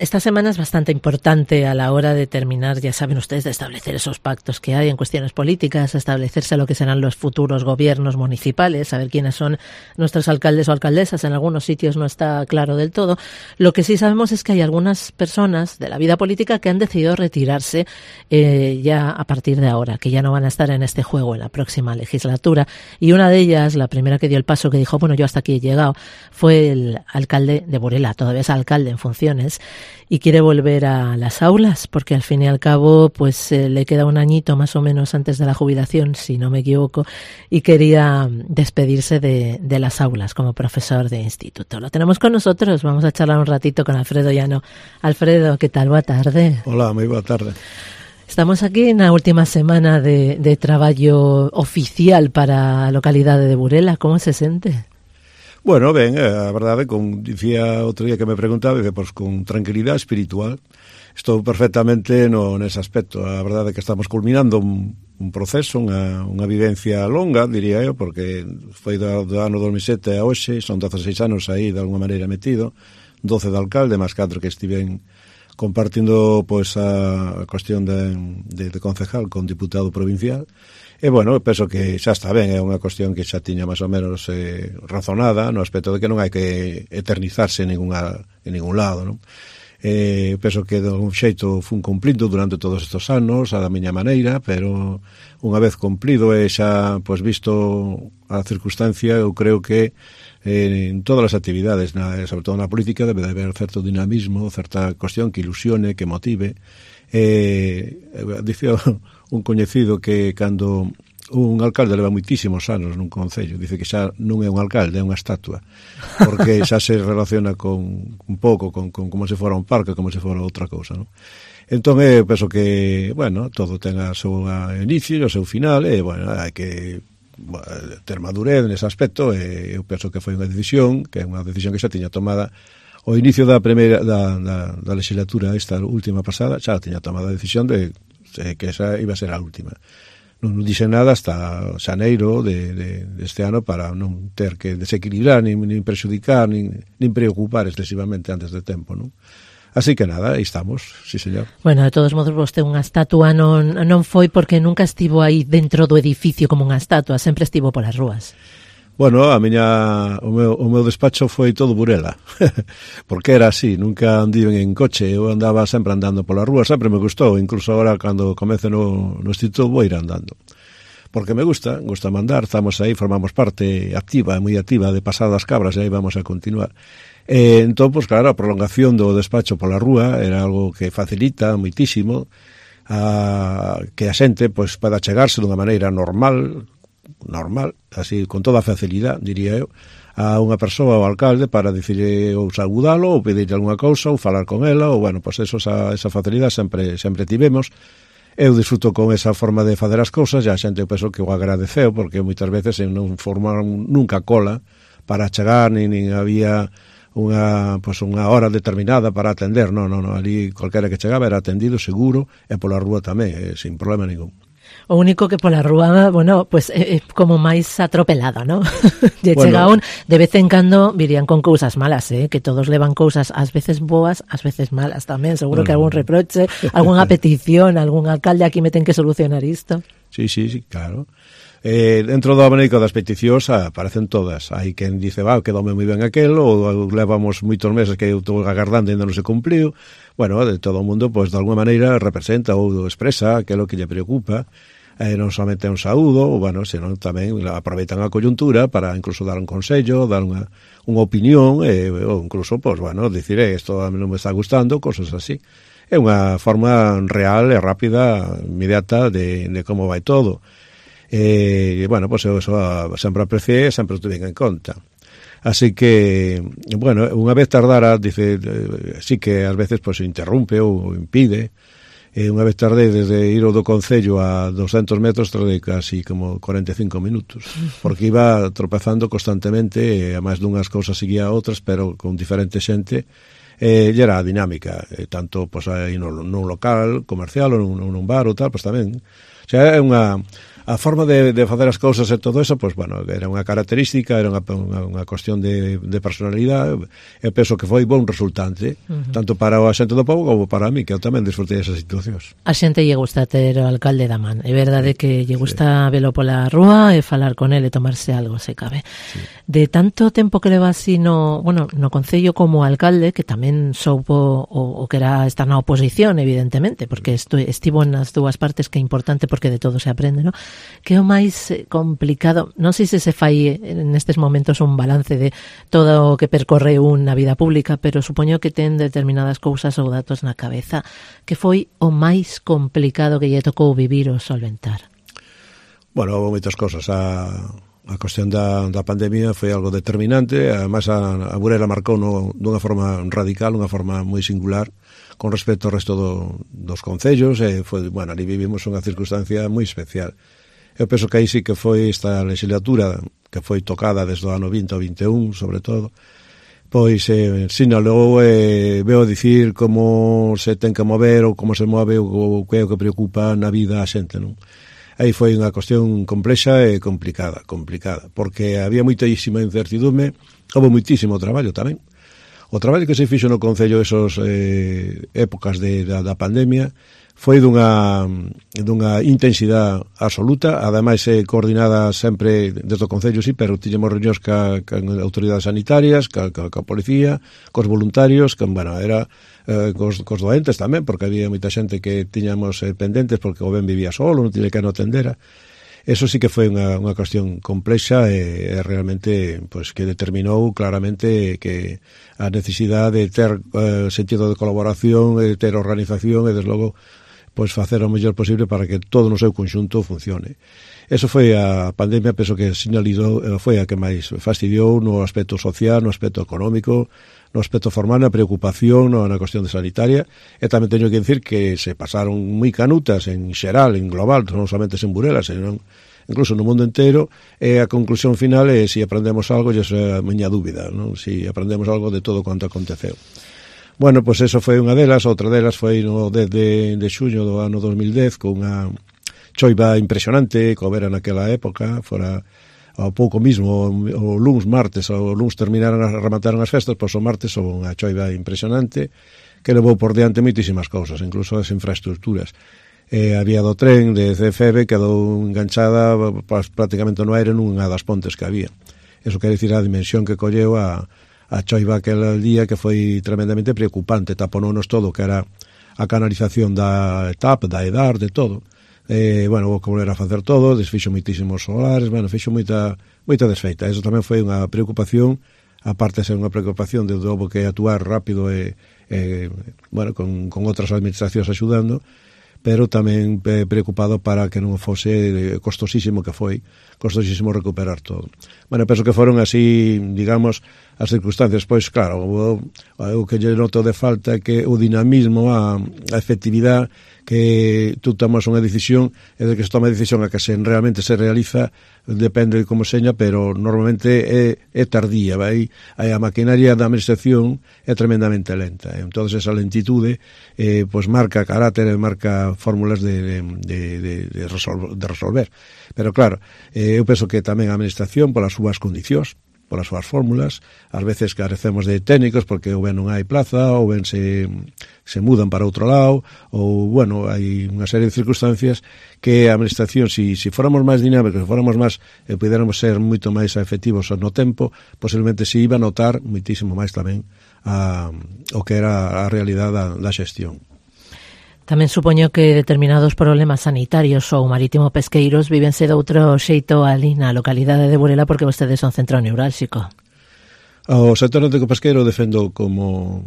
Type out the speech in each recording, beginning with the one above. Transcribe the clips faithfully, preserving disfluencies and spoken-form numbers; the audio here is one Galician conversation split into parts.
Esta semana es bastante importante a la hora de terminar, ya saben ustedes, de establecer esos pactos que hay en cuestiones políticas, establecerse lo que serán los futuros gobiernos municipales, saber quiénes son nuestros alcaldes o alcaldesas. En algunos sitios no está claro del todo. Lo que sí sabemos es que hay algunas personas de la vida política que han decidido retirarse eh, ya a partir de ahora, que ya no van a estar en este juego en la próxima legislatura. Y una de ellas, la primera que dio el paso, que dijo, bueno, yo hasta aquí he llegado, fue el alcalde de Burela, todavía es alcalde en funciones, y quiere volver a las aulas porque al fin y al cabo pues eh, le queda un añito más o menos antes de la jubilación, si no me equivoco, y quería despedirse de, de las aulas como profesor de instituto. Lo tenemos con nosotros, vamos a charlar un ratito con Alfredo Llano. Alfredo, ¿qué tal? Boa tarde. Hola, moi boa tarde. Estamos aquí na última semana de, de traballo oficial para a localidade de Burela. Como se sente? Bueno, ben, a verdade, como dicía outro día que me preguntaba, que pois con tranquilidade espiritual estou perfectamente no nese aspecto. A verdade é que estamos culminando un, un proceso, unha, unha vivencia longa, diría eu, porque foi do, do ano dos mil sete a hoxe, son dezaseis anos aí de alguma maneira metido, doce de alcalde, máis catro que estiven compartindo pois a, a cuestión de, de, de concejal con diputado provincial. E, bueno, penso que xa está ben, é unha cuestión que xa tiña máis ou menos eh, razonada no aspecto de que non hai que eternizarse en, ninguna, en ningún lado, non? Eh, penso que de algún xeito fun cumplindo durante todos estes anos, a da miña maneira, pero unha vez cumplido e xa, pois, visto a circunstancia, eu creo que eh, en todas as actividades, na, sobre todo na política, debe de haber certo dinamismo, certa cuestión que ilusione, que motive. Eh, dicía un coñecido que cando un alcalde leva moitísimos anos nun concello, dice que xa non é un alcalde, é unha estatua, porque xa se relaciona con un pouco con, con como se fora un parque, como se fora outra cousa, non? Entón, eu penso que, bueno, todo ten a seu inicio e o seu final, e, bueno, hai que bueno, ter madurez nese aspecto, e eu penso que foi unha decisión, que é unha decisión que xa tiña tomada o inicio da primeira da, da, da legislatura esta última pasada, xa tiña tomado a decisión de eh, que esa iba a ser a última. Non dixen nada hasta xaneiro de, de, de este ano para non ter que desequilibrar, nin, nin prexudicar, nin, nin preocupar excesivamente antes de tempo, non? Así que nada, aí estamos, sí señor. Bueno, de todos modos, vostede unha estatua non, non foi porque nunca estivo aí dentro do edificio como unha estatua, sempre estivo polas rúas. Bueno, a miña, o meu, o meu despacho foi todo Burela, porque era así, nunca andiven en coche, eu andaba sempre andando pola rúa, sempre me gustou, incluso agora cando comece no, no instituto vou ir andando, porque me gusta, gusta mandar, estamos aí, formamos parte activa, moi activa de Pasadas Cabras, e aí vamos a continuar. E, entón, pues, claro, a prolongación do despacho pola rúa era algo que facilita moitísimo a, que a xente pues, poda chegarse dunha maneira normal, normal, así, con toda a facilidade, diría eu, a unha persoa, ao alcalde, para dicirle ou saudalo, ou pedirle algunha cousa, ou falar con ela, ou, bueno, pois pues eso, esa, esa facilidade sempre, sempre tivemos. Eu disfruto con esa forma de fazer as cousas, e a xente, eu penso que o agradeceu, porque moitas veces non formaron nunca cola para chegar, nin, nin había unha, pues, unha hora determinada para atender, non, non, non, ali calquera que chegaba era atendido seguro, e pola rúa tamén, eh, sin problema ningún. O único que pola rúa, bueno, pues é eh, como máis atropelado, ¿no? Lle bueno, chega un, de vez en cando virían con cousas malas, eh, que todos levan cousas ás veces boas, ás veces malas tamén, seguro bueno, que algún reproche, algunha petición, algún alcalde aquí me ten que solucionar isto. Sí, sí, sí, claro. Eh, dentro do abanico das peticións aparecen todas. Hai quen dice, va, quedoume moi ben aquelo, ou levamos moitos meses que eu estou agardando e ainda non se cumpliu. Bueno, de todo o mundo, pois, de alguma maneira representa ou expresa aquilo que lle preocupa. Eh, non somente un saúdo, ou, bueno, senón tamén aproveitan a coyuntura para incluso dar un consello, dar unha, unha opinión, eh, ou incluso, pois, bueno, dicir, eh, isto a mí non me está gustando, cosas así. É unha forma real e rápida, inmediata, de, de como vai todo. E, bueno, pois, eu eso sempre apreciei e sempre o tuve en conta. Así que, bueno, unha vez tardara, dice, eh, sí que ás veces, pois, interrumpe ou impide. E unha vez tardei desde ir ao do Concello a doscentos metros, tardei casi como cuarenta e cinco minutos, porque iba tropezando constantemente, e a máis dunhas cousas seguía a outras, pero con diferente xente, e era a dinámica, e tanto pois, aí nun, nun local comercial ou nun, nun bar ou tal, pois tamén. O sea, é unha, a forma de, de facer as cousas e todo eso, pois, bueno, era unha característica, era unha, unha, unha cuestión de, de personalidade. Eu penso que foi bon resultante, uh-huh. tanto para a xente do povo como para mí, que eu tamén disfrutei esas situacións. A xente lle gusta ter o alcalde da man. É verdade sí, que lle gusta sí. velo pola rúa e falar con ele e tomarse algo, se cabe. Sí. De tanto tempo que leva así no, bueno, no concello como alcalde, que tamén soupo o, o que era estar na oposición, evidentemente, porque esto, estivo nas dúas partes, que é importante porque de todo se aprende, ¿no? Que é o máis complicado, non sei se se fai en estes momentos un balance de todo o que percorre unha vida pública, pero supoño que ten determinadas cousas ou datos na cabeza. Que foi o máis complicado que lle tocou vivir ou solventar? Bueno, houve moitas cosas. A, a cuestión da, da pandemia foi algo determinante. Además, a, a Burela marcou no, dunha forma radical, unha forma moi singular con respecto ao resto do, dos concellos. E foi, bueno, ali vivimos unha circunstancia moi especial. Eu penso que aí sí que foi esta legislatura que foi tocada desde o ano vinte ao vinte e un, sobre todo, pois eh, sinalou e eh, veo dicir como se ten que mover ou como se move o que é o que preocupa na vida a xente, non? Aí foi unha cuestión complexa e complicada, complicada, porque había moitísima incertidume, houve moitísimo traballo tamén. O traballo que se fixo no Concello esos eh, épocas de, da, da pandemia foi dunha, dunha intensidade absoluta, ademais eh, coordinada sempre desde o Concello, sí, pero tiñemos reunións ca, ca autoridades sanitarias, ca, ca, ca policía, cos voluntarios, que, bueno, era eh, cos, cos doentes tamén, porque había moita xente que tiñamos eh, pendentes porque o ben vivía solo, non tiña que non atendera. Eso sí que foi unha, unha cuestión complexa e, e realmente pues, que determinou claramente que a necesidade de ter eh, sentido de colaboración, de ter organización e, desde logo, pois facer o mellor posible para que todo no seu conxunto funcione. Eso foi a pandemia, penso que sinalizou, foi a que máis fastidiou no aspecto social, no aspecto económico, no aspecto formal, na preocupación, no, na cuestión de sanitaria, e tamén teño que dicir que se pasaron moi canutas en xeral, en global, non somente en Burela, senón incluso no mundo inteiro, e a conclusión final é se aprendemos algo, e esa é a miña dúbida, non? Se aprendemos algo de todo quanto aconteceu. Bueno, pois pues eso foi unha delas, outra delas foi no dez de, de xuño do ano dos mil dez, con unha choiva impresionante, que houbera naquela época, fora ao pouco mismo, o luns, martes, o luns terminaron, remataron as festas, pois o martes houve unha choiva impresionante, que levou por diante moitísimas cousas, incluso as infraestructuras. E a vía do tren de C F B quedou enganchada pues, prácticamente no aire nunha das pontes que había. Eso quere dicir a dimensión que colleu a a choiva aquel día, que foi tremendamente preocupante, taponounos todo, que era a canalización da E T A P, da E D A R, de todo. Eh, bueno, vou volver a facer todo, desfixo moitísimos solares, bueno, fixo moita, moita desfeita. Eso tamén foi unha preocupación, aparte de ser unha preocupación de houve que actuar rápido e, e bueno, con, con outras administracións axudando, pero tamén preocupado para que non fose costosísimo, que foi costosísimo recuperar todo. Bueno, penso que foron así, digamos, as circunstancias. Pois, claro, o, o que lle noto de falta é que o dinamismo, a, a efectividade, que tú tomas unha decisión, e de que se toma a decisión a que se realmente se realiza, depende de como seña, pero normalmente é, é tardía, vai? A maquinaria da administración é tremendamente lenta. Entón, esa lentitude eh, pues marca carácter e marca fórmulas de, de, de, de, resolver, de resolver. Pero claro, eh, eu penso que tamén a administración, polas súas condicións, polas súas fórmulas, ás veces carecemos de técnicos porque ou ben non hai plaza, ou ben se, se mudan para outro lado, ou, bueno, hai unha serie de circunstancias que a administración, si, si fóramos máis dinámicos, se fóramos máis, e puderamos ser moito máis efectivos no tempo, posiblemente se iba a notar moitísimo máis tamén a, o que era a realidade da, da xestión. Tamén supoño que determinados problemas sanitarios ou marítimo-pesqueiros vívense de outro xeito ali na localidade de Burela, porque vostedes son centro neurálxico. O sector náutico-pesqueiro defendo como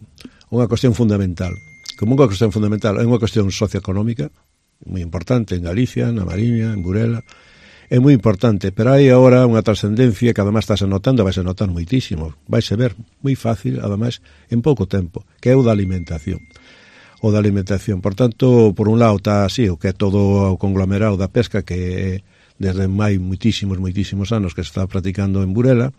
unha cuestión fundamental. Como unha cuestión fundamental, é unha cuestión socioeconómica, moi importante en Galicia, na Mariña, en Burela, é moi importante, pero hai agora unha trascendencia que además está se notando, vai se notar moitísimo, vai se ver moi fácil, además, en pouco tempo, que é o da alimentación. O da alimentación. Por tanto, por un lado está así, o que é todo o conglomerado da pesca, que desde mai moitísimos, moitísimos anos que se está practicando en Burela.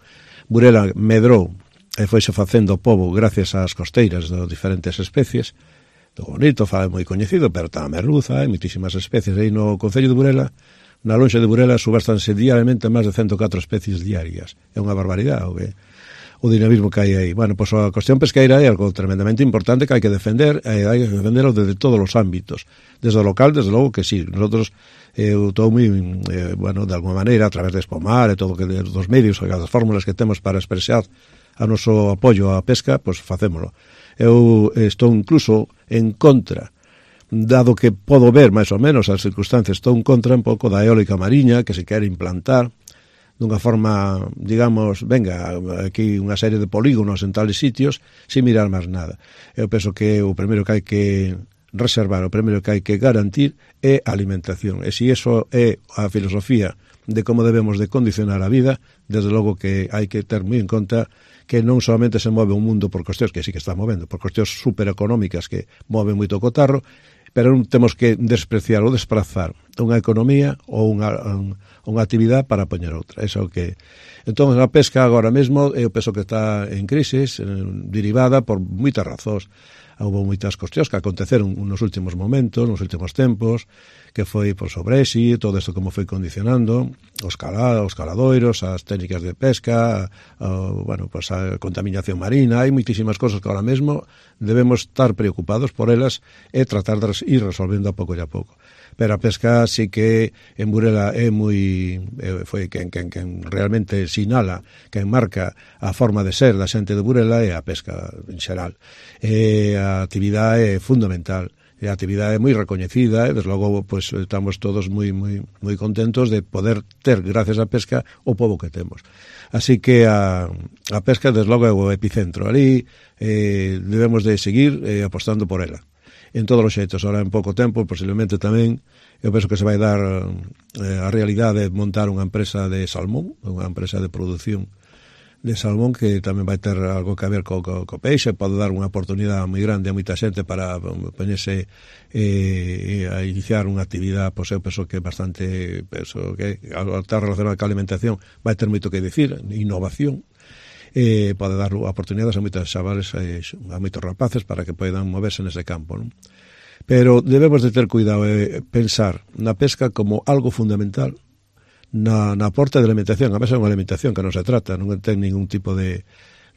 Burela medrou e foise facendo pobo gracias ás costeiras de diferentes especies. Do bonito, fa moi coñecido, pero tamén merluza, hai moitísimas especies aí no Concello de Burela. Na lonxa de Burela subástanse diariamente máis de ciento catro especies diarias. É unha barbaridade o, que, o dinamismo que hai aí. Bueno, pois a cuestión pesqueira é algo tremendamente importante que hai que defender, e hai que defenderlo desde todos os ámbitos. Desde o local, desde logo que sí. Nosotros, eu estou moi, eh, bueno, de alguma maneira, a través de Espomar e todo que dos medios, as fórmulas que temos para expresar a noso apoio á pesca, pois facémolo. Eu estou incluso en contra, dado que podo ver máis ou menos as circunstancias, estou en contra un pouco da eólica mariña que se quere implantar dunha forma, digamos, venga, aquí unha serie de polígonos en tales sitios, sin mirar máis nada. Eu penso que o primeiro que hai que reservar, o primeiro que hai que garantir é a alimentación. E se iso é a filosofía de como debemos de condicionar a vida, desde logo que hai que ter moi en conta que non solamente se move un mundo por cuestións que sí que está movendo, por cuestións supereconómicas que moven moito cotarro, pero non temos que despreciar ou desprazar unha economía ou unha, unha actividade para poñer outra. Eso que... Entón, a pesca agora mesmo, eu penso que está en crisis, eh, derivada por moitas razóns. Houve moitas cuestións que aconteceron nos últimos momentos, nos últimos tempos, que foi por sobre Brexit, todo isto como foi condicionando, os, cala, os caladoiros, as técnicas de pesca, a, bueno, pues a contaminación marina, hai moitísimas cosas que ahora mesmo debemos estar preocupados por elas e tratar de ir resolvendo a pouco e a pouco. Pero a pesca sí que en Burela é moi eh, foi quen, quen, quen realmente sinala, quen marca a forma de ser da xente de Burela é a pesca en xeral. E a actividade é fundamental, e a actividade é moi recoñecida, e desde logo pues, estamos todos moi, moi, moi contentos de poder ter, gracias á pesca, o pobo que temos. Así que a, a pesca, desde logo, é o epicentro. Ali eh, debemos de seguir eh, apostando por ela. En todos os xeitos, ahora en pouco tempo, posiblemente tamén, eu penso que se vai dar eh, a realidade de montar unha empresa de salmón, unha empresa de produción de salmón que tamén vai ter algo que ver co, co, co peixe, pode dar unha oportunidade moi grande a moita xente para poñerse eh, a iniciar unha actividade, pois eu penso que bastante, penso que ao estar relacionado ca alimentación vai ter moito que dicir, innovación, eh, pode dar oportunidades a moitos chavales, eh, a moitos rapaces para que poidan moverse nese campo, non? Pero debemos de ter cuidado e eh, pensar na pesca como algo fundamental na, na aporte de alimentación. A veces é unha alimentación que non se trata, non ten ningún tipo de,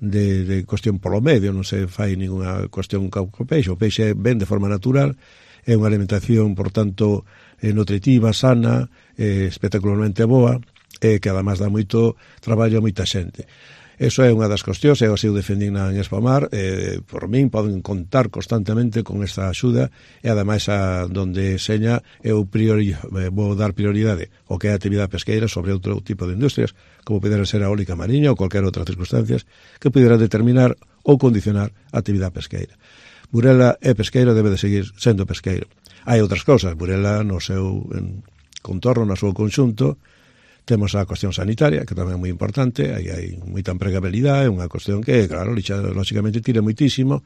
de, de cuestión polo medio, non se fai ninguna cuestión co peixe. O peixe ven de forma natural, é unha alimentación, por tanto, eh, nutritiva, sana, eh, espectacularmente boa, e eh, que además dá moito traballo a moita xente. Eso é unha das cuestións, eu así o defendín en Espomar, eh, por min poden contar constantemente con esta axuda e ademais a donde seña eu priori, eh, vou dar prioridade o que é a actividade pesqueira sobre outro tipo de industrias, como pudera ser a eólica mariña ou cualquier outra circunstancias que pudera determinar ou condicionar a actividade pesqueira. Burela é pesqueiro, debe de seguir sendo pesqueiro. Hai outras cousas, Burela no seu en, contorno, no seu conxunto, temos a cuestión sanitaria, que tamén é moi importante, aí hai moita empregabilidade, é unha cuestión que, claro, lógicamente tira moitísimo,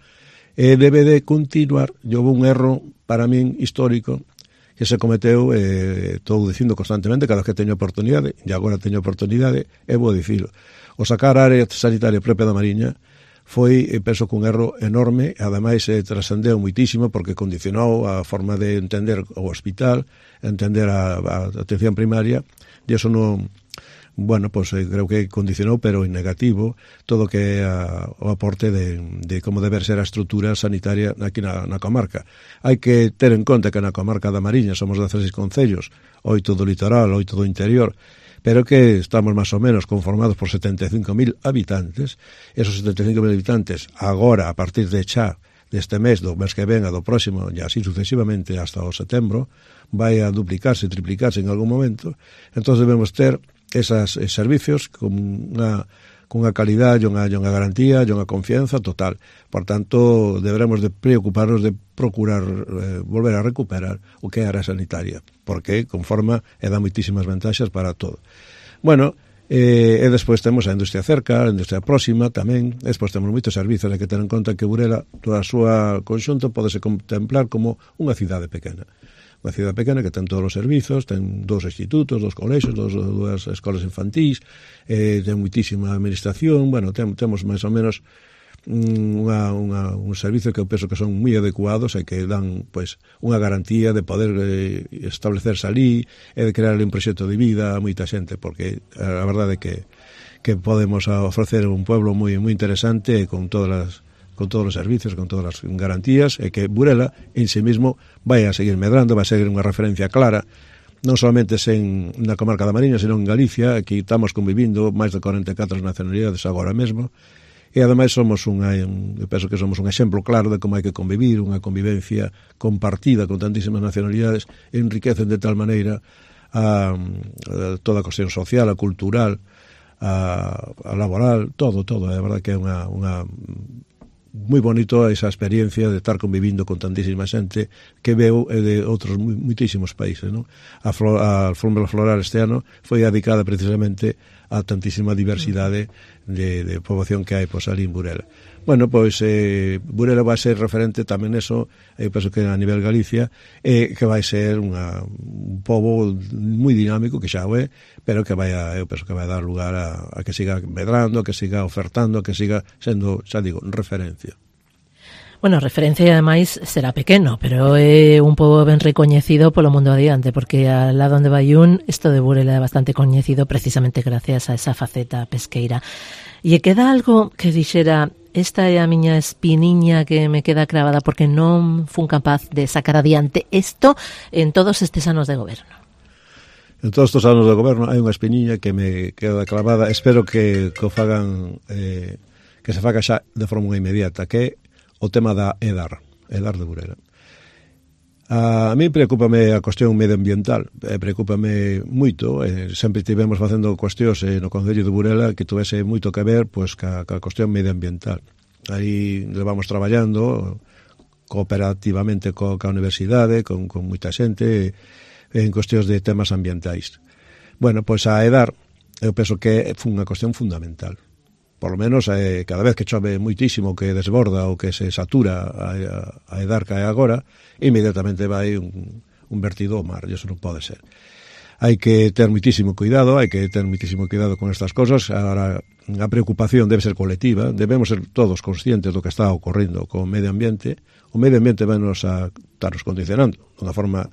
e debe de continuar. Houve un erro, para min, histórico, que se cometeu, eh, estou dicindo constantemente, cada vez que teño oportunidade, e agora teño oportunidade, e vou dicilo. O sacar a área sanitaria propia da Mariña foi, penso, que un erro enorme, e ademais eh, trascendeu moitísimo, porque condicionou a forma de entender o hospital, entender a, a atención primaria, e eso non, bueno, pues eh, creo que condicionou, pero en negativo, todo que é a, o aporte de, de como debe ser a estrutura sanitaria aquí na, na comarca. Hai que ter en conta que na comarca da Mariña somos dezasseis concellos, oito do litoral, oito do interior, pero que estamos máis ou menos conformados por setenta e cinco mil habitantes. Esos setenta e cinco mil habitantes, agora, a partir de xa, deste mes, do mes que ven, a do próximo, e así sucesivamente hasta o setembro, vai a duplicarse, triplicarse en algún momento. Entón debemos ter esas eh, servicios con unha, con unha calidad e unha, unha garantía e unha confianza total. Por tanto, deberemos de preocuparnos de procurar eh, volver a recuperar o que é a área sanitaria, porque conforma e dá moitísimas vantaxes para todo. Bueno, eh, e despois temos a industria cerca, a industria próxima tamén, e despois temos moitos servizos, hai que ter en conta que Burela, toda a súa conxunto, podese contemplar como unha cidade pequena. Unha cidade pequena que ten todos os servizos, ten dous institutos, dos colexios, dos, dúas escolas infantís, eh, ten moitísima administración, bueno, ten, temos máis ou menos unha, unha, un servicio que eu penso que son moi adecuados e que dan pois unha garantía de poder eh, establecerse ali e de crear un proxecto de vida a moita xente, porque a verdade é que que podemos ofrecer un pueblo moi moi interesante con todas as con todos os servicios, con todas as garantías, e que Burela en sí mismo vai a seguir medrando, vai a seguir unha referencia clara, non solamente en na comarca da Mariña, senón en Galicia. Aquí estamos convivindo máis de cuarenta e catro nacionalidades agora mesmo, e ademais somos unha, eu penso que somos un exemplo claro de como hai que convivir, unha convivencia compartida con tantísimas nacionalidades, enriquecen de tal maneira a, a toda a cuestión social, a cultural, a, a laboral, todo, todo. É verdade que é unha, unha moi bonito esa experiencia de estar convivindo con tantísima xente que veo de outros muitísimos países, non? A, flor, a Alfombra Floral este ano foi dedicada precisamente a tantísima diversidade de, de poboación que hai pois, ali en Burela. Bueno, pois eh, Burela vai ser referente tamén eso, eu penso que a nivel Galicia, eh, que vai ser unha, un pobo moi dinámico, que xa o é, pero que vai a, eu penso que vai dar lugar a, a que siga medrando, a que siga ofertando, a que siga sendo, xa digo, referencia. Bueno, referencia e ademais será pequeno, pero é un pobo ben recoñecido polo mundo adiante, porque al lado onde vai un, isto de Burela é bastante coñecido precisamente gracias a esa faceta pesqueira. E queda algo que dixera, esta é a miña espiniña que me queda cravada porque non fun capaz de sacar adiante isto en todos estes anos de goberno. En todos estes anos de goberno hai unha espiniña que me queda clavada, espero que, que o fagan, eh, que se faga xa de forma inmediata, que é o tema da EDAR, EDAR de Burela. A mí preocúpame a cuestión medioambiental, eh, preocúpame moito, eh, sempre tivemos facendo cuestións eh, no Concello de Burela que tuvese moito que ver pois, ca, ca cuestión medioambiental. Aí levamos traballando cooperativamente co, ca universidade, con, con moita xente, en cuestións de temas ambientais. Bueno, pois a EDAR, eu penso que é unha cuestión fundamental. Por lo menos eh, cada vez que chove muitísimo, que desborda ou que se satura a, a EDAR que hai agora, inmediatamente vai un, un vertido ao mar, e iso non pode ser. Hai que ter muitísimo cuidado, hai que ter muitísimo cuidado con estas cosas. Agora, a preocupación debe ser colectiva, debemos ser todos conscientes do que está ocorrendo co medio ambiente. O medio ambiente vai nos a estarnos condicionando de unha forma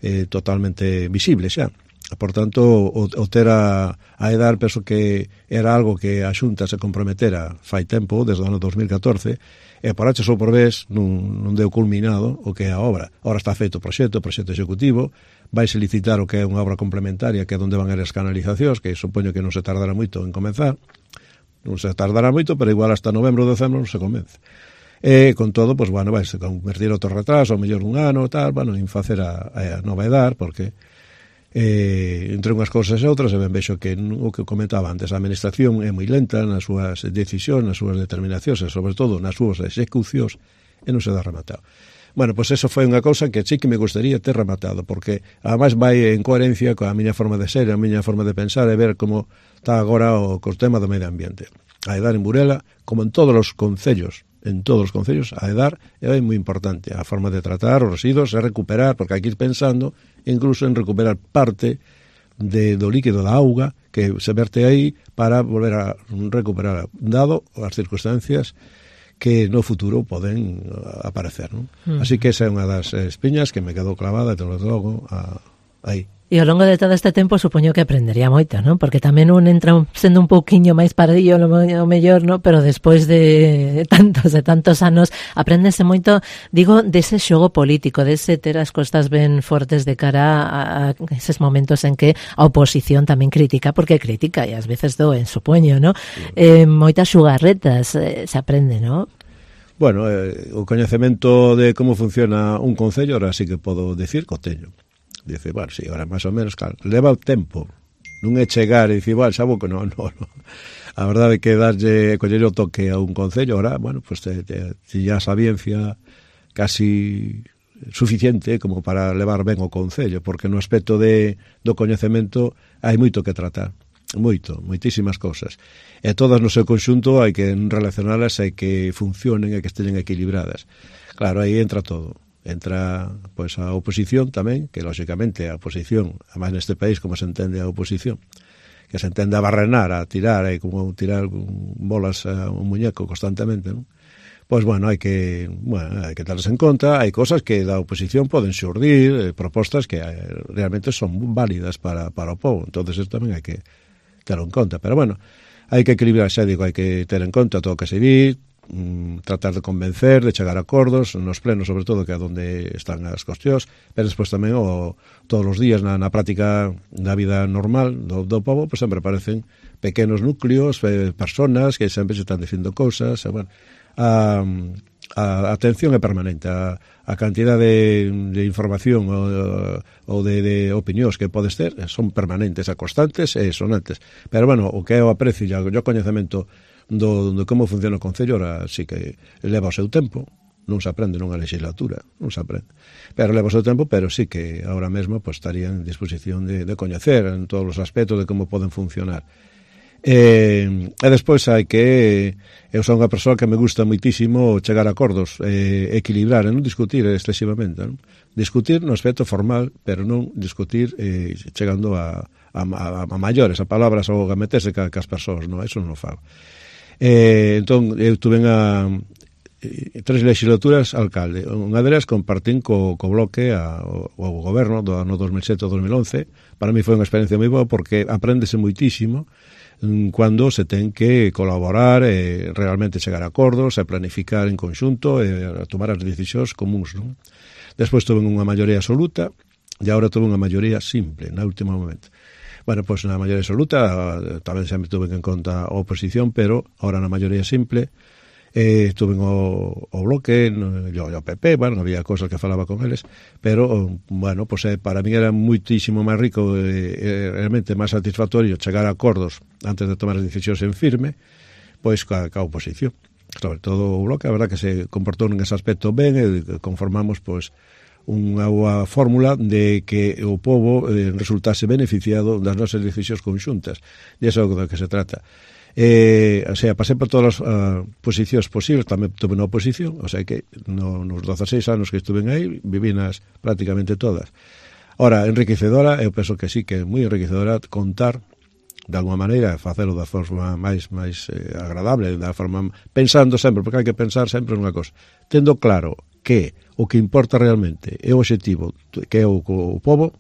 eh, totalmente visible xa. Por tanto, o, o ter a, a EDAR penso que era algo que a Xunta se comprometera fai tempo, desde o ano dos mil catorce, e por H ou por B non, non deu culminado o que é a obra. Ahora está feito o proxecto, o proxecto executivo, vaise licitar o que é unha obra complementaria, que é onde van a ir as canalizacións, que supoño que non se tardará moito en comenzar, non se tardará moito, pero igual hasta novembro ou decembro non se comence. E con todo, pois, bueno, vaise convertir outro retraso, ao mellor un ano, tal, bueno, en facer a, a nova EDAR, porque Eh, entre unhas cousas e outras, e ben vexo que o que comentaba antes, a administración é moi lenta nas súas decisións, nas súas determinacións e sobre todo nas súas execucións, e non se dá rematado. Bueno, pois eso foi unha cousa que sí que me gustaría ter rematado, porque ademais vai en coherencia coa miña forma de ser, a miña forma de pensar e ver como está agora o, o tema do medio ambiente. A EDAR en Burela, como en todos os concellos, en todos os concellos, a EDAR é moi importante. A forma de tratar os residuos é recuperar, porque hai que ir pensando incluso en recuperar parte de, do líquido da auga que se verte aí para volver a recuperar, dado as circunstancias que no futuro poden aparecer, non? Mm. Así que esa é unha das espiñas que me quedou clavada, te lo logo, a, aí. E ao longo de todo este tempo supoño que aprendería moito, non? Porque tamén un entra sendo un pouquiño máis pardillo o mellor, non? Pero despois de tantos e tantos anos apréndese moito, digo, dese xogo político, dese ter as costas ben fortes de cara a, a eses momentos en que a oposición tamén critica, porque critica e ás veces doen, supoño, non? Eh, moitas xugarretas eh, se aprende, non? Bueno, eh, o coñecemento de como funciona un concello, ahora sí que podo decir que o teño. Dice, bueno, sí, ahora máis ou menos, claro, leva o tempo, non é chegar e dicir, bueno, xabo que non, non, non. A verdade é que darlle, coller o toque a un concello, ahora, bueno, pues te, te, te ya sabiencia casi suficiente como para levar ben o concello, porque no aspecto de, do coñecemento hai moito que tratar, moito, moitísimas cousas. E todas no seu conxunto hai que relacionalas, hai que funcionen e que estén equilibradas. Claro, aí entra todo. Entra pois a oposición tamén, que lógicamente a oposición, además neste país como se entende a oposición, que se entende a barrenar, a tirar, e como tirar bolas a un muñeco constantemente, non? Pois, bueno, hai que, bueno, hai que darles en conta, hai cosas que da oposición poden xurdir, eh, propostas que eh, realmente son válidas para, para o povo, entonces eso tamén hai que ter en conta, pero bueno, hai que equilibrar, xa digo, hai que ter en conta todo o que se di, mm, tratar de convencer, de chegar a acordos, nos plenos sobre todo, que é onde están as cuestións, pero despois tamén o, todos os días na, na práctica da vida normal do, do povo, pois sempre aparecen pequenos núcleos, eh, personas que sempre se están dicindo cousas, e, bueno, A, a atención é permanente, a, a cantidad de, de información ou, ou de, de opinións que podes ter son permanentes, a constantes e sonantes, pero bueno, o que é o aprecio e o coñecemento do, do como funciona o Concello, ahora sí que leva o seu tempo, non se aprende nunha legislatura, non se aprende, pero leva o seu tempo, pero sí que ahora mesmo pues, estaría en disposición de, de coñecer en todos os aspectos de como poden funcionar. E, e despois hai que eu son unha persoa que me gusta moitísimo chegar a acordos, eh, equilibrar e non discutir excesivamente, non? Discutir no aspecto formal, pero non discutir eh, chegando a, a, a, a maiores, a palabras ou a meterse ca, cas persoas, non? Eso non o fago. Eh, entón, eu tuve a eh, tres legislaturas alcalde, unha delas compartín co, co bloque a, o, o goberno do ano dos mil sete ao dos mil once. Para mí foi unha experiencia moi boa porque apréndese moitísimo cando se ten que colaborar e realmente chegar a acordos e planificar en conxunto e tomar as decisións comuns, non? Despois tuve unha maioría absoluta e agora tuve unha maioría simple na último momento. Bueno, pois na maioría absoluta tamén sempre tuve en conta a oposición, pero agora na maioría simple eh, tuve o, o bloque no, e o P P, bueno, había cosas que falaba con eles, pero, bueno, pues, eh, para mí era muitísimo máis rico e eh, realmente máis satisfactorio chegar a acordos antes de tomar as decisións en firme, pois ca, ca oposición. Sobre todo o bloque, a verdad que se comportou nese aspecto ben e conformamos, pois, unha boa fórmula de que o povo eh, resultase beneficiado das nosas decisións conxuntas, e iso é do que se trata. Eh, o sea, pasei por todas as uh, posicións posibles, tamén tuve na oposición, o sea que no, nos dezaseis anos que estuve aí, viví nas prácticamente todas. Ora, enriquecedora, eu penso que sí, que é moi enriquecedora contar, de alguma maneira, facelo da forma máis máis eh, agradable, da forma pensando sempre, porque hai que pensar sempre nunha cosa, tendo claro que o que importa realmente é o obxectivo, que é o, o povo,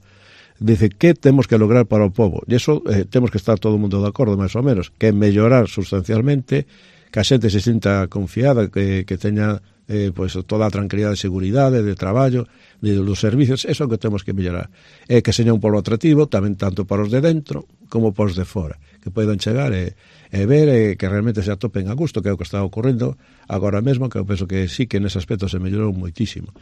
dice que temos que lograr para o povo, e iso eh, temos que estar todo o mundo de acordo, máis ou menos, que é mellorar sustancialmente, que a xente se sinta confiada, que, que teña eh, pues, toda a tranquilidade de seguridade, de traballo, de, dos servicios, eso é o que temos que mellorar. E que seña un polo atractivo, tamén tanto para os de dentro como para os de fora, que poidan chegar e, e ver e que realmente se atopen a gusto, que é o que está ocorrendo agora mesmo, que eu penso que sí que nese aspecto se mellorou moitísimo.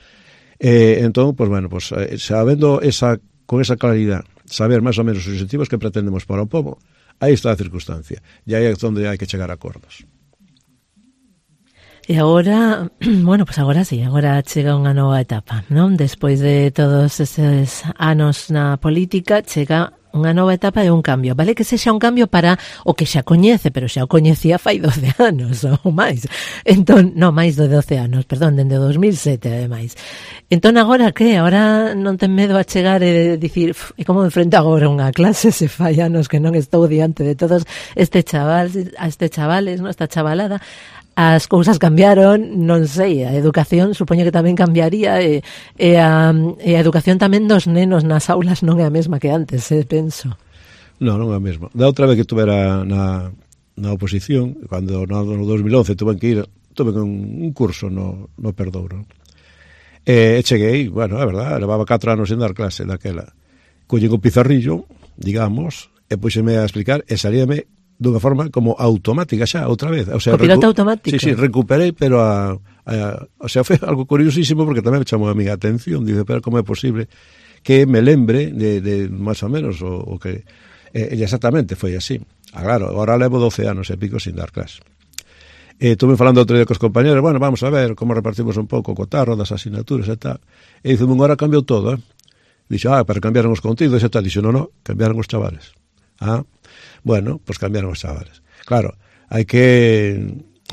Eh, entón, pues, bueno, pues, eh, sabendo esa con esa claridade, saber máis ou menos os objetivos que pretendemos para o povo, aí está a circunstancia, e aí é onde hai que chegar a acordos. E agora, bueno, pues agora sí, agora chega unha nova etapa, non? Despois de todos estes anos na política, chega unha nova etapa e un cambio. Vale que sexa un cambio para o que xa coñece, pero xa o coñecía fai doce anos ou máis. Entón, non, máis de doce anos, perdón, dende o dos mil sete, ademais. Entón, agora que? Agora non ten medo a chegar e dicir, e como enfrento agora unha clase se fai anos que non estou diante de todos este chaval, a este chavales, non, esta chavalada. As cousas cambiaron, non sei, a educación supoño que tamén cambiaría e, e, a, e a educación tamén dos nenos nas aulas non é a mesma que antes, eh, penso. Non, non é a mesma. Da outra vez que tuvera na, na oposición, cando no, no dos mil once tuve que ir, tuve un, un curso no, no Perdouro. E cheguei, bueno, é verdad, levaba catro anos sen dar clase daquela. Collín o pizarrillo, digamos, e puxeme a explicar e salíame dunha forma como automática xa, outra vez. O sea, o piloto automático? Sí, sí, recuperei, pero a, a, o sea, foi algo curiosísimo porque tamén me chamou a miña atención, dice, pero como é posible que me lembre de, de máis ou menos o, o que... E, exactamente, foi así. Ah, claro, agora levo doce anos e pico sin dar clase. E estuve falando outro día cos compañeros, bueno, vamos a ver como repartimos un pouco co tarro das asignaturas e tal. E dice, unha hora cambiou todo, eh? Dixo, ah, pero cambiaron os contidos e tal. Dixo, non, non, cambiaron os chavales. Ah, bueno, pues cambiaron os chavales. Claro, hai que,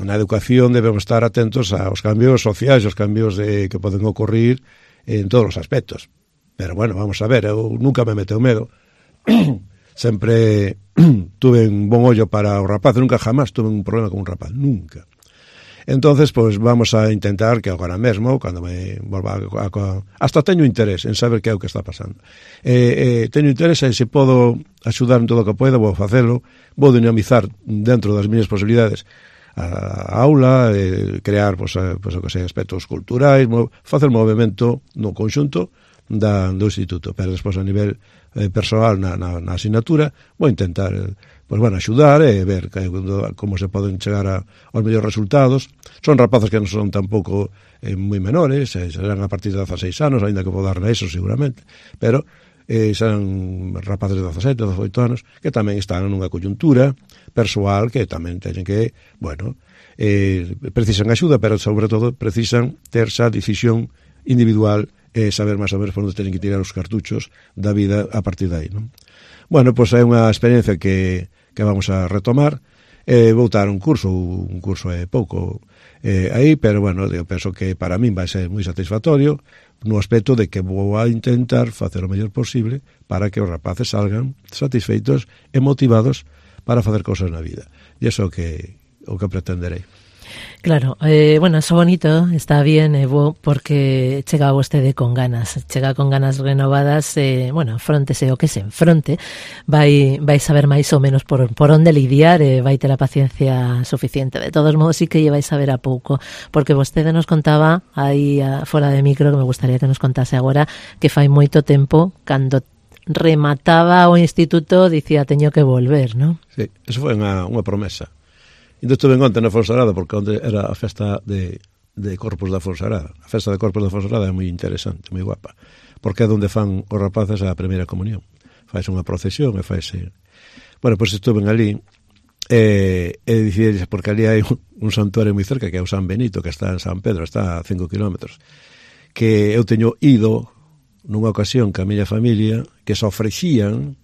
na educación debemos estar atentos aos cambios sociais, aos cambios de, que poden ocurrir en todos os aspectos. Pero bueno, vamos a ver, eu nunca me meteu medo sempre tuve un bon ollo para o rapaz, nunca jamás tuve un problema con un rapaz, nunca. Entonces, pois, vamos a intentar que agora mesmo, cando me volva a, a, hasta teño interés en saber que é o que está pasando. Eh, eh, teño interés en se podo axudar en todo o que poida, vou facelo, vou dinamizar dentro das miñas posibilidades a, a aula, eh, crear, pois, a, pois, o que sei, aspectos culturais, mo, facer movimento no conxunto da, do instituto, pero despois a nivel eh, personal na, na, na asignatura, vou intentar... Eh, pois, bueno, axudar e ver que, como se poden chegar a, aos mellores resultados. Son rapazes que non son tampouco eh, moi menores, eh, serán a partir de dezaseis anos, ainda que vou dar na eso seguramente, pero eh, serán rapaces de dezasete, dezoito anos, que tamén están nunha coyuntura persoal que tamén teñen que, bueno, eh, precisan axuda, pero sobre todo precisan ter esa decisión individual e eh, saber máis ou menos por onde teñen que tirar os cartuchos da vida a partir de aí, non? Bueno, pois é unha experiencia que que vamos a retomar, eh, vou dar un curso, un curso é pouco eh, aí, pero bueno, eu penso que para min vai ser moi satisfactorio no aspecto de que vou a intentar facer o mellor posible para que os rapaces salgan satisfeitos e motivados para facer cosas na vida. E iso que o que pretenderei. Claro, eh, bueno, eso bonito, está bien, eh, bo, porque chega vostede con ganas, chega con ganas renovadas, eh, bueno, fróntese o que se enfronte, vai, vai saber máis ou menos por, por onde lidiar, eh, vai ter a paciencia suficiente. De todos modos, sí que lle vai saber a pouco, porque vostede nos contaba aí a, fora de micro, que me gustaría que nos contase agora, que fai moito tempo, cando remataba o instituto, dicía, teño que volver, ¿no? Sí, eso foi unha, unha promesa. E estuve en onte na Fonsagrada, porque onte era a festa de, de Corpus da Fonsagrada. A festa de Corpus da Fonsagrada é moi interesante, moi guapa, porque é onde fan os rapaces a primeira comunión. Faise unha procesión e faise... Bueno, pois pues estuve ali e, e dicíades, porque ali hai un, un santuario moi cerca, que é o San Benito, que está en San Pedro, está a cinco kilómetros, que eu teño ido nunha ocasión que a miña familia, que se ofrecían,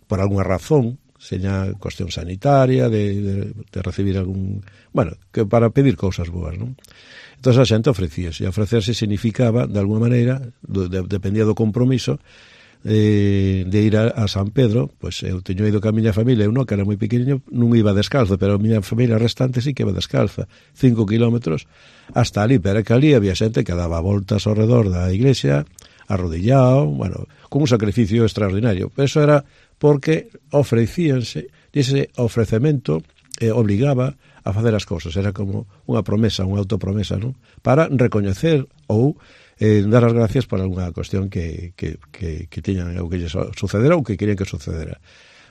por algunha razón, seña cuestión sanitaria, de, de, de recibir algún... Bueno, que para pedir cousas boas, non? Entón a xente ofrecíase, e ofrecerse significaba, de alguma maneira, de, de, dependía do compromiso, eh, de ir a, a San Pedro. Pois eu teño ido ca miña familia, eu non, que era moi pequeniño, non iba descalzo, pero a miña familia restante sí que iba descalza, cinco kilómetros, hasta ali, pero que ali había xente que daba voltas ao redor da iglesia, arrodillado, bueno, con un sacrificio extraordinario. Pero eso era porque ofrecíanse, e ese ofrecemento eh, obligaba a facer as cousas, era como unha promesa, unha autopromesa, non? Para recoñecer ou eh, dar as gracias por algunha cuestión que, que, que, que tiñan ou que lles sucedera ou que querían que sucedera.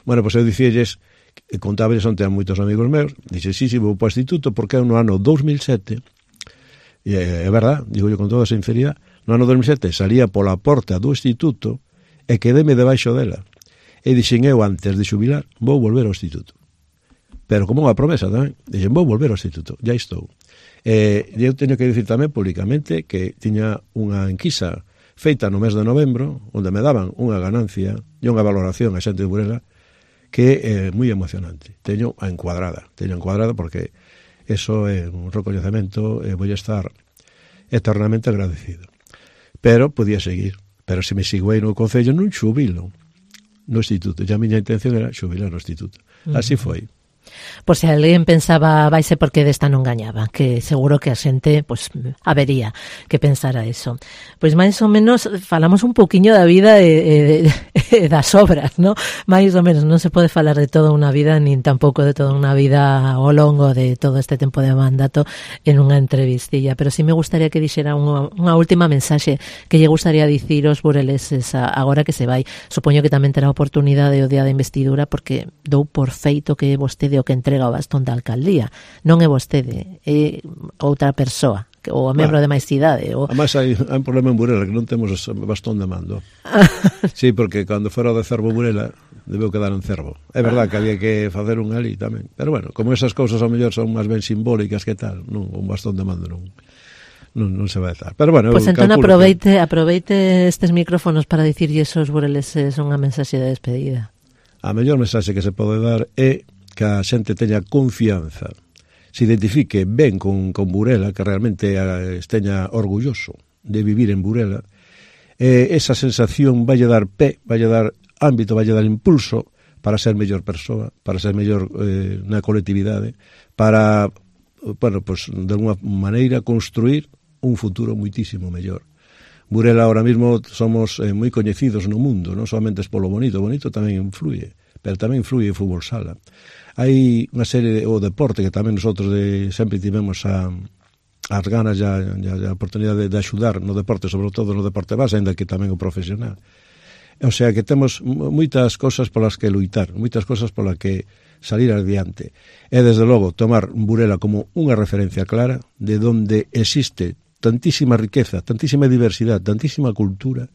Bueno, pois eu dicíalles, contábales onte a moitos amigos meus, dixe, sí, sí, vou para o instituto porque no ano dos mil sete, e é verdad, digo yo con toda a sinceridade, no ano dos mil sete salía pola porta do instituto e quedeme debaixo dela. E dixen eu, antes de xubilar, vou volver ao instituto. Pero como unha promesa tamén, dixen, vou volver ao instituto, já estou. E eu teño que dicir tamén públicamente que tiña unha enquisa feita no mes de novembro, onde me daban unha ganancia e unha valoración a xente de Burela que é moi emocionante. Teño a encuadrada, teño a encuadrada porque eso é un recoñecemento e vou estar eternamente agradecido. Pero podía seguir, pero se me sigo aí no Concello non xubilo no instituto, e a miña intención era xubilar no instituto. Así foi. Por se alguén pensaba vaise porque desta non gañaba, que seguro que a xente pues, habería que pensara eso. Pois máis ou menos falamos un pouquiño da vida e, e, e das obras, ¿no? Máis ou menos non se pode falar de toda unha vida nin tampouco de toda unha vida ao longo de todo este tempo de mandato en unha entrevistilla, pero sí me gustaría que dixera unha, unha última mensaxe que lle gustaría dicir aos bureleses agora que se vai. Supoño que tamén terá oportunidade o día da investidura porque dou por feito que vostede o que entrega o bastón da alcaldía. Non é vostede, é outra persoa, ou a membro bueno, de máis idade. Ou... Además, hai, hai un problema en Burela, que non temos bastón de mando. Sí, porque cando fora de Cervo Burela, debeu quedar en Cervo. É verdad que había que facer un ali tamén. Pero bueno, como esas cousas ao mellor son máis ben simbólicas que tal, non, un bastón de mando non... Non, non se vai a dar. Pero bueno, pues entón aproveite, que... aproveite estes micrófonos para dicirlle esos bureleses unha mensaxe de despedida. A mellor mensaxe que se pode dar é que a xente teña confianza, se identifique ben con, con Burela, que realmente esteña orgulloso de vivir en Burela, eh, esa sensación vai dar pé, vai dar ámbito, vai dar impulso para ser mellor persoa, para ser mellor eh, na colectividade, para, bueno, pues, de alguma maneira construir un futuro muitísimo mellor. Burela ahora mismo somos eh, moi coñecidos no mundo, non solamente es polo bonito, bonito tamén influye, pero tamén influye o fútbol sala. Hai unha serie, de, o deporte que tamén nosotros de, sempre tivemos a as ganas e a oportunidade de, de axudar no deporte, sobre todo no deporte base, ainda que tamén o profesional. O sea que temos moitas cosas polas que luitar, moitas cosas polas que salir adiante. E, desde logo, tomar Burela como unha referencia clara de onde existe tantísima riqueza, tantísima diversidade, tantísima cultura,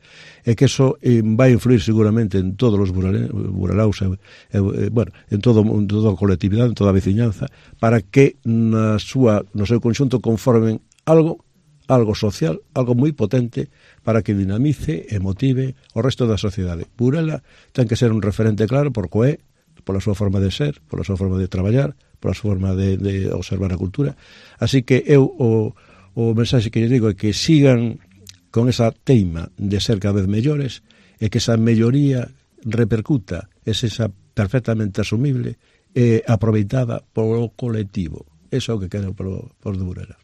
e que eso eh, vai influir seguramente en todos os burelaus, eh, eh, bueno, en, todo, en toda a colectividade, en toda a veciñanza, para que na súa, no seu conxunto conformen algo algo social, algo moi potente para que dinamice e motive o resto da sociedade. Burela ten que ser un referente claro por coé, pola súa forma de ser, pola súa forma de traballar, pola súa forma de, de observar a cultura. Así que eu o, o mensaxe que lle digo é que sigan con esa teima de ser cada vez mellores e que esa melloría repercuta, é esa perfectamente asumible e aproveitada polo colectivo. Eso é o que quero por, por de Burela.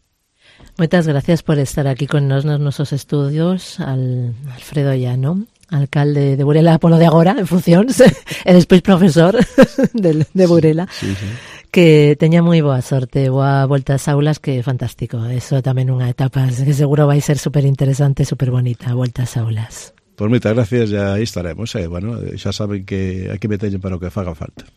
Moitas gracias por estar aquí con nos nos nosos estudios, al Alfredo Llano, alcalde de Burela polo de agora, en funcións, e despois profesor de, de Burela, sí, sí, sí. Que teña moi boa sorte, boa volta ás aulas, que é fantástico. Eso tamén unha etapa que seguro vai ser super interesante, super bonita, volta ás aulas. Pois moitas gracias, e aí estaremos, eh, bueno, xa saben que aquí me teñen para o que faga falta.